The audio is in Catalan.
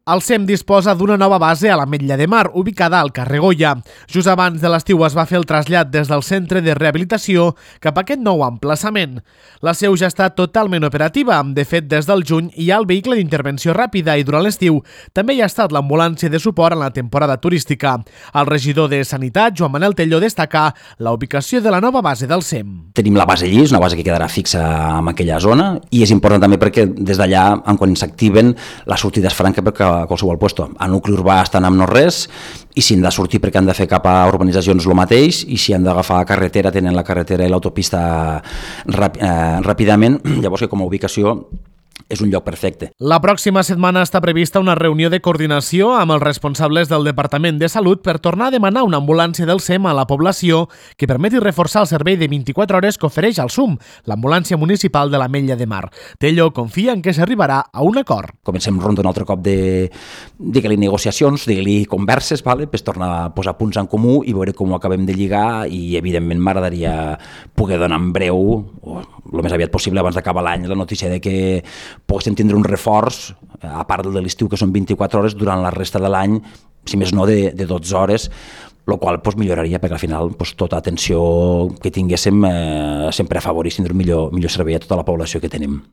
El SEM disposa d'una nova base a l'Ametlla de Mar, ubicada al carrer Goya. Just abans de l'estiu es va fer el trasllat des del centre de rehabilitació cap a aquest nou emplaçament. La seu ja està totalment operativa. De fet, des del juny hi ha el vehicle d'intervenció ràpida i durant l'estiu també hi ha estat l'ambulància de suport en la temporada turística. El regidor de Sanitat, Joan Manel Tello, destaca la ubicació de la nova base del SEM. Tenim la base allí, és una base que quedarà fixa en aquella zona i és important també perquè des d'allà, quan s'activen, la sortida és franca perquè a qualsevol lloc. A nucli urbà estan amb no res i si han de sortir perquè han de fer cap a urbanitzacions el mateix i si han d'agafar carretera tenen la carretera i l'autopista ràpidament, llavors que com a ubicació és un lloc perfecte. La pròxima setmana està prevista una reunió de coordinació amb els responsables del Departament de Salut per tornar a demanar una ambulància del SEM a la població que permeti reforçar el servei de 24 hores que ofereix el SUM, l'ambulància municipal de l'Ametlla de Mar. Tello confia en que s'arribarà a un acord. Comencem ronda un altre cop de digue-li negociacions, digue-li converses, per tornar a posar punts en comú i veure com ho acabem de lligar i evidentment m'agradaria poder donar en breu, o el més aviat possible abans d'acabar l'any, la notícia de que poguéssim tindre un reforç, a part de l'estiu que són 24 hores, durant la resta de l'any, si més no de 12 hores, el qual milloraria perquè al final tota atenció que tinguéssim sempre afavorís tindre un millor servei a tota la població que tenim.